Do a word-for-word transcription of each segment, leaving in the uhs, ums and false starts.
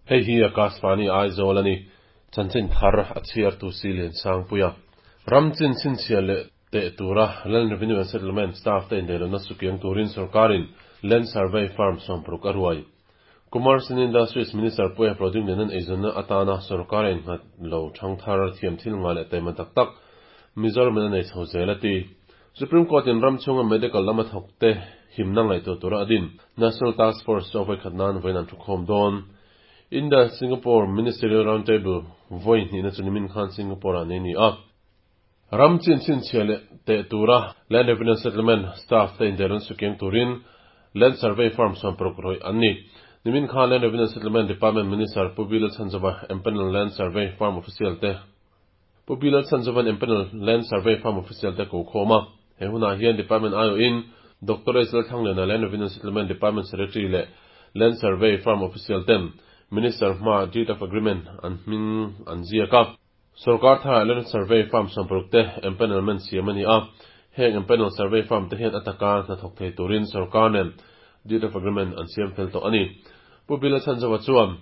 Hei hi Akashvani Aizawl ani. Chanchin thar a chhiar tu si lian sang puia. Ram chin chin chhia leh teh tura Land Revenue and Settlement staff te indelona sukiang turin sarkarin Land Survey Firm sawmparuk a ruai. Commerce and Industries Minister Puia Proding lenan eizawnna atana sarkar a innghat lo thang thar thiam thil nga leh taima tak tak Mizoram in a nei chho zel a ti. Supreme Court in ram chhunga medical lama thawk te himna ngaihtuah tura a din National Task Force chu a vawi khat nan vawiin an thu khawm dawn. India Singapore Ministerial Roundtable vawi hnihna chu nimin khan Singapore ah nei a ni a. Ram chin chhinchhiah leh teh tura Land Revenue Settlement staff te indelun sukiang turin Land Survey Firm sawmparuk rawih an ni. Nimin khan Land Revenue Settlement Department Minister Pu Bilal Chhanzova empanel Land Survey Firm official te Pu Bilal Chhanzovan empanel Land Survey Firm official te ko khawm a. He hunah hian Department aiawhin Doctor H Lalthlangliana Land Revenue Settlement Department Secretary leh Land Survey Firm official ten Minister hmaa Deed of Agreement an hming an ziak a. Sorkar tharah Land Survey Firm sawmparuk te empanelment siam a ni a. Heng empanel survey firm te hian a taka hnathawk thei turin sorkar nen Deed of Agreement an siam fel tawh a ni. Pu Bila Chhanzova chuan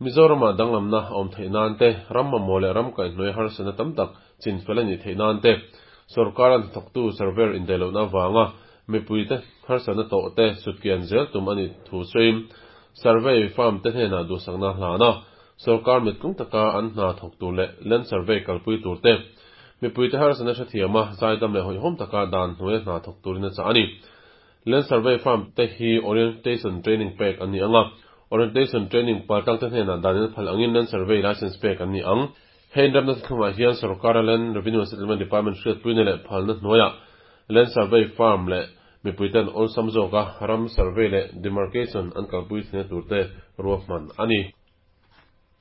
Mizoramah danglamna a awm theih nan te, ram mamawh leh ram kaihhnuai harsatna tam tak chin fel a nih theih nan te, sorkara hnathawktu surveyor indaih lohna avanga mipuite harsatna tawh te sutkian zel tum a nih thu sawiin survey firm te hnenah duhsakna hlan a, sorkar mittlung taka an hna thawk tur leh land survey kalpui tur te, mipuite harsatna hrethiam a, zaidam leh hawihhawm taka dan hnuaia hna thawk turin a chah a ni. Land survey firm te hi orientation training pek an ni ang a, orientation training paltang te hnenah danin phal angin land survey license pek an ni ang. Hei inremna thlungah hian sorkara Land Revenue and Settlement Department hriatpuina leh phalna hnuaiah Land Survey Firm leh mipuiten awlsam zawka ram survey leh demarcation an kalpui thina turte ruahman a ni.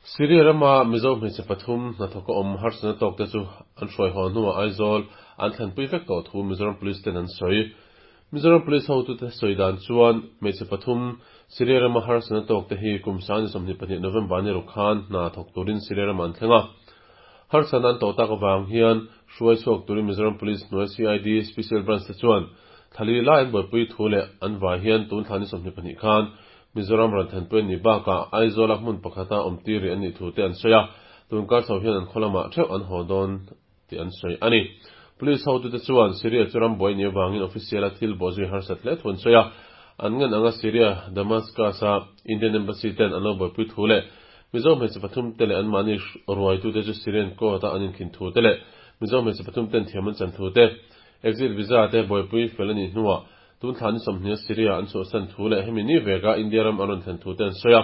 Syria rama Mizo hmeichhe pathum hnathawk a awm harsatna tawk te chu an hruai haw hnuah Aizawl an thlenpui vek tawh thu Mizoram Police ten an sawi. Mizoram Police hotute sawi dan chuan hmeichhe pathum Syria rama harsatna tawk te hi kum sangni sawmhnih pahnih November ni ruk khan hna thawk turin Syria ramah an thleng a. Harsatna an tawh tak avang hian hruai chhuak turin Mizoram Police hnuai C I D Special Branch te chuan thlali lai an buaipui thu leh an vai hian tun thla ni sawmhnih pahnih khan Mizoram rawn thenpui an nih bakah Aizawla hmun pakhata awm tir rih an nih thu te an sawi a, tunkar chho hian an khaw lamah theuh an haw dawn tih an sawi a ni. Police hotute chuan Syria chu ram buai nih avangin official a thil bawhzui harsat hle thu an sawi a, an ngan anga Syria Damascus-a Indian Embassy ten an lo buaipui thu leh Mizo hmeichhe pathum te leh anmahni ruaitute chu Syrian court-a an inkhin thu te leh Mizo hmeichhe pathum ten thiam an chan thu te, exit visa te buaipui fel a nih hnuah tun thla ni sawmhnih a Syria an chhuahsan thu leh hemi ni veka India ram an rawn thlen thu te an sawi a.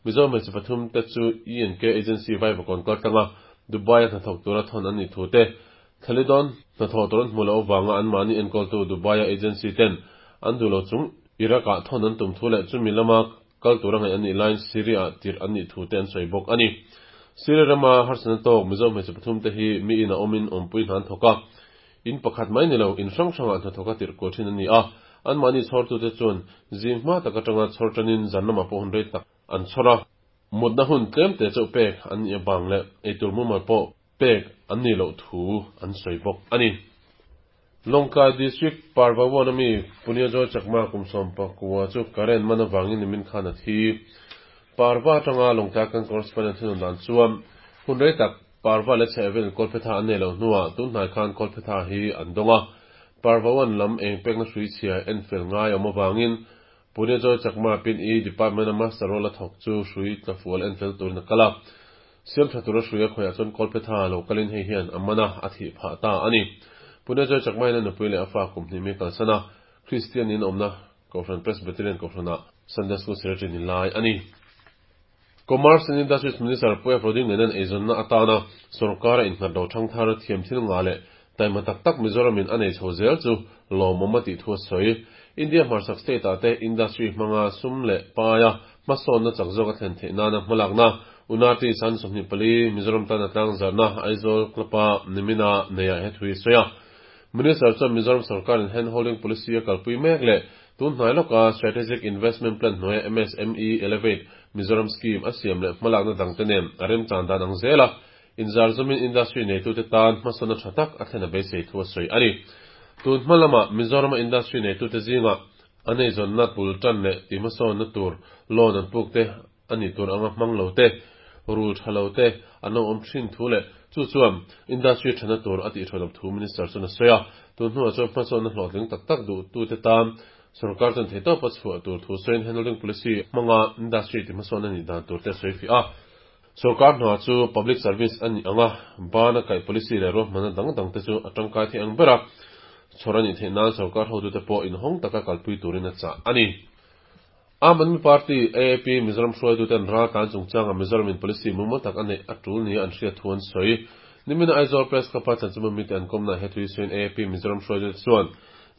Mizo hmeichhe pathum te chu E and K Agency Vaivakawn kal tlanga Dubai-a hnathawk tura thawn an nih thu te, Thlalidawn hnathawh tur an hmuh loh avanga anmahni enkawltu Dubai-a agency ten an duh lo chung Iraq-ah thawn an tum thu leh chumi lama kal tura ngaih an nih laiin Syria-ah tirh an nih thu te an sawi bawk a ni. Syria rama harsatna tawk Mizo hmeichhe pathum te hi mi in a awmin awmpui hna an thawk a, in pakhat mai ni lo in hrang hrangah hnathawk a tirh kual thin an ni a, anmahni chhawrtute chuan zing hma tak atanga chhawr tanin zan lamah pawh hun rei tak an chhawr a, mutna hun tlem te chauh pek an nih avang leh eitur mumal pawh pek an nih loh thu an sawi bawk a ni. Lawngtlai District Parvawan ami Punia Joy Chakma kum sawm pakua chu current man avangin nimin khan a thi. Parva atanga Lawngtlai kan correspondent thunun dan chuan hun rei tak Parva leh chhehvel Kawlphetha an nei loh hnuah tun hnai khan Kawlphetha hi an dawng a. Parvawan lam eng pekna hrui chhia en fel ngai awm avangin Punia Joy Chakma pin E Department a master role a thawk chu hrui tlafual en fel turin a kal a. Siam tha tura hrui a khawiah chuan Kawlphetha lo kalin hei hian a man a, a thih phah ta a ni. Punia Joy Chakma hian a nupui leh a fa kum hnih mi kalsan a, Kristian in awmna Kohhran Presbyterian Kohhranah Sunday School Secretary ni lai a ni. Commerce and Industries Minister Puia Proding Lenan eizawnna atana sorkara innghat lo thangthar thiam thil nga leh taima tak tak Mizoramin a nei chho zel chu lawmawm a tih thu a sawi. India hmarchhak state-ah te industry hmanga sum leh paia hmasawnna chak zawk a thlen theih nana hmalakna Unati San sawmhnih pali Mizoram tana tlang zarhna Aizawl Club-a nimina neiah he thu hi sawi a. Minister chuan Mizoram sarkarin hand holding policy a kalpui mek leh tun hnai lawka Strategic Investment Plan hnuaia M S M E Elevate Mizoram Scheme a siam leh hmalakna dangte nen a remchan dan ang zel a, inzar zumin industry neitute tan hmasawnna tha tak a thlen a beisei thu a sawi a ni. Tun hma lamah Mizorama industry neitute zingah an eizawnna pul tan leh tihhmasawnna tur loan an puk te ani tur anga hmang lo te rul thalo te an lo awm thin thu leh chu chuan industry thana tur ati tholom thu minister chuan a sawi a tun hnuah chuan hmasawnna hlawhtling tak tak duh tu te tan sarkar chuan thei tawpa chhuah tur thu sawiin handholding policy hmanga industry ti hmasawn ani dan tur te sawi fi a sarkar hna chu public service ani anga bana kai policy leh ruahmanna dang dang te chu a tangkai thei ang bera chhawrani theih nan sarkar hotu te pawh inhawng taka kalpui turin a chah ani. Aam Aadmi Party A A P Mizoram hruaitu ten ral tlan chungchanga Mizoram in policy mumal tak anei a tul ni an hriat thu an sawi. Nimina Aizawl Press Club a chanchinbu mite an kawmna he thui sawiin A A P Mizoram hruaitu te chuan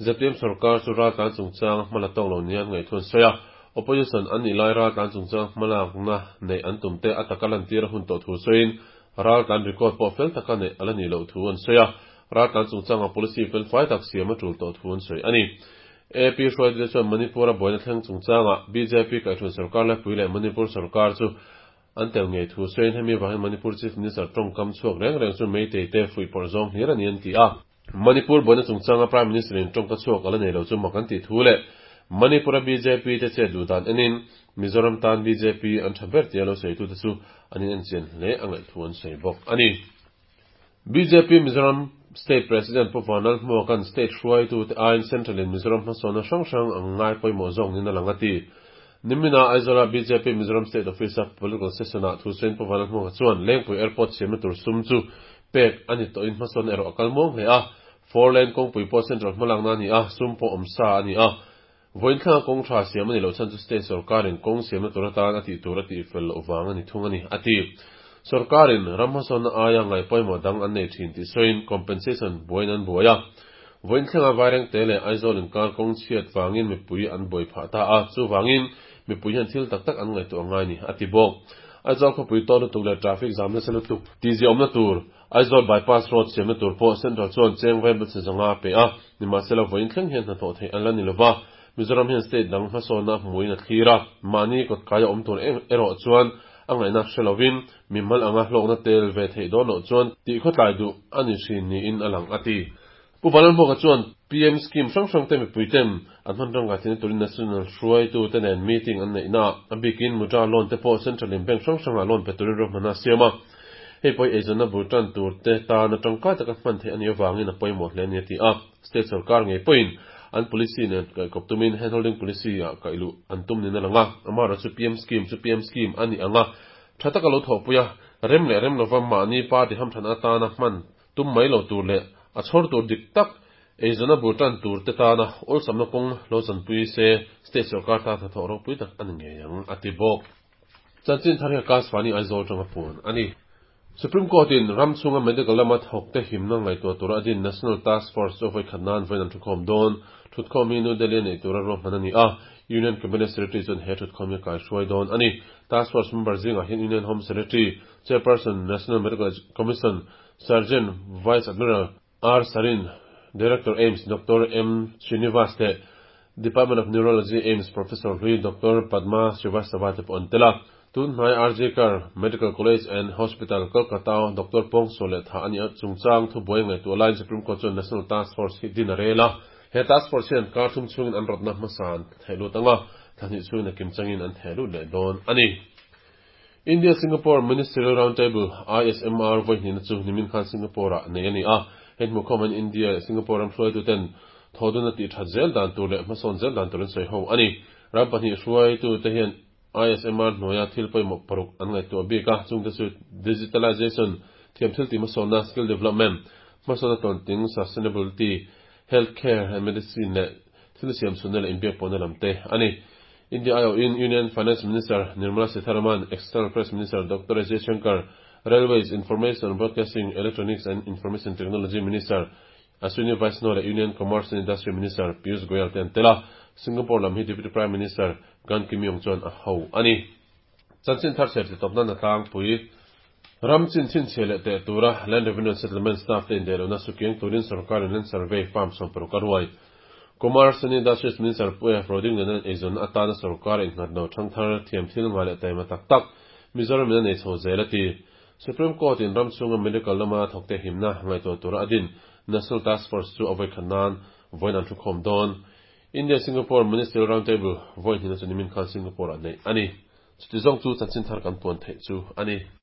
Z P M sarkar chu ral tlan chungchanga hmala tawk lo ni an ngaih thu an sawi a. Opposition an nih lai ral tlan chungchanga hmalakna nei an tum te a taka lantir a hun tawh thu sawiin ral tlan record pawh fel taka nei ala ni loh thu an sawi a. Ral tlan chungchanga policy fel fai tak siam a tul tawh thu an sawi ani. A A P hruaitu te chuan Manipur a buaina thleng chungchanga B J P kaihhruai sarkar laipui leh Manipur sarkar chu an tel ngei thu sawiin hemi vangin Manipur Chief Minister tawngkam chhuak reng reng chu Meitei te fuihpawrh zawng hlir ani an ti a. Manipur buaina chungchanga Prime Minister in tawngka chhuak ala nei lo chu mak an ti thu leh Manipur a B J P te che duh dan enin Mizoram tan B J P an tha ber tia lo sawi tu te chu an in en chian hle a ngaih thu an sawi bawk ani. B J P Mizoram State President Pu Vanlal Hmuakan State hruaitu te aiin Central in Mizoram hmasawnna hrang hrang ang ngai pawimawh zawk nin a lang a ti. Nimina Aizawl B J P Mizoram State Office a political session ah thu sawiin Pu Vanlal Hmuaka chuan Lengpui Airport siamna tur sum chu pek ani tawhin hmasawnna erawh a kal muang hle a. Four lane kawngpui pawh Central hmalakna ani a, sum pawh awm sa ani a. Voin thlanga kawng tha siam ani lo chan chu State sarkarin kawng siamna tur atan a tih tur a tih fel loh vang ani thung ani a ti. Sarkarin ram hmasawnna aia ngai pawimawh dang an nei thin tih sawiin compensation buain an buai a. Voin thlenga vaireng te leh Aizawl inkar kawng chhiat vangin mipui an buai phah ta a, chu vangin mipui hian thil tak tak an ngaihtuah ngai ni a ti bawk. Aizawl khawpui tawh lutuk leh traffic jam nasa lutuk ti ziawmna tur Aizawl bypass road siamna tur pawh Central chuan cheng vai bel zanga a pe a, nimahsela voin thleng hian hnathawh theih an la ni lova. Mizoram hian state dang hmasawnna hmuin a thlir a, mahni kawtkaia awm tur erawh chuan a ngaihna hrelovin mimal anga hlawkna tel ve theih dawn loh chuan tih khawtlai duh ani thin niin a lang a ti. Pu Vanlal Hmuaka chuan P M scheme hrang hrang te mipui ten an hman rangkai theihna turin National hruaitu te nen meeting an neih na a bikin Mudra loan te pawh Central in bank hrang hrangah loan pe turin ruahmanna a siam a. Hei pawh eizawnna bul tan tur te tan atangkai taka hman theih ani avangin a pawimawh hle ani a ti a. State sarkar ngei pawhin an policy nen kaikawp tumin handholding policy ah kailuh an tum nin a lang a. Amara chu P M scheme chu P M scheme ani anga tha taka lo thawhpui a, rem leh rem lova mahni party hamthan atana hman tum mai lo tur leh a chhawr tur dik tak eizawnna bul tan tur te tana awlsamna kawng lo chanpui se state sarkar ta hnathawh ropui tak ani ngei ang a ti bawk. Chanchin thar hi Akashvani Aizawl tanga puan ani. Supreme Court in ram chunga medical lama thawk te himna ngaihtuah tura a din National Task Force chu voi khat nan voin an thukhawm dawn. Thutkhawm hi New Delhi nei tura ruahman ani a. Union Cabinet Secretary chuan he thukhawm hi kai hruai dawn ani. Task Force member zingah hian Union Home Secretary, Chairperson National Medical Commission, Surgeon Vice Admiral R Sarin, Director AIIMS Doctor M Srinivas te Department of Neurology AIIMS Professor Hlui Doctor Padma Srivastava te pawh an tel a. Tun hnai R J Kar Medical College and Hospital Kolkata Doctor Pong Sole tha ani a chungchang thu buai ngaihtuah laiin Supreme Court chuan National Task Force hi din a rel a. He task force hian kar thum chungin an rawtna hmasa an thehlut anga, thlahnih chungin a kim changin an thehlut leh dawn ani. India Singapore Ministerial Roundtable I S M R voi hnihna chu nimin khan Singapore ah nei ani a. Hei hmu khawm an India leh Singapore ram hruaitu ten thoduna tih that zel dan tur leh hmasawn zel dan turin sawi ho ani. Ram pahnih hruaitu te hian I S M R hnuaia thil pawimawh paruk an ngaihtuah bik a, chungte chu digitalization, thiam thil tih hmasawnna, skill development, hmasawnna tawnting, sustainability, healthcare and medicine leh thil siam chhunna leh inbiak pawhna lam te ani. India I O in Union Finance Minister Nirmala Sitharaman, External Affairs Minister Doctor S Jaishankar, Railways, Information, Broadcasting, Electronics and Information Technology Minister Ashwini Vaishnaw leh Union Commerce and Industry Minister Piyush Goyal te an tel a. Singapore lam hi Deputy Prime Minister Gan Kim Yong chuan a ho ani. Chanchin thar ser ti tawpna na tlangpui ram chin chin chhe leh teh tura Land Revenue and Settlement staff te indehlona sukiang turin sarkarin land survey farm sawm paruk a ruai. Commerce and Industries Minister Puia Roding nen eizawn atana sarkar innghat lo thangthar thiam thil nga leh taima tak tak Mizoram in a nei chho zel a ti. Supreme Court in ram chunga medical lama thawk te himna ngaihtuah tura a din National Task Force chu a voi khat nan voin an thukhawm dawn. India Singapore Ministerial Roundtable voi hnihna chu nimin khan Singapore ah nei ani. Chuti zawng chu chanchinthar kan puan theih chu a ni.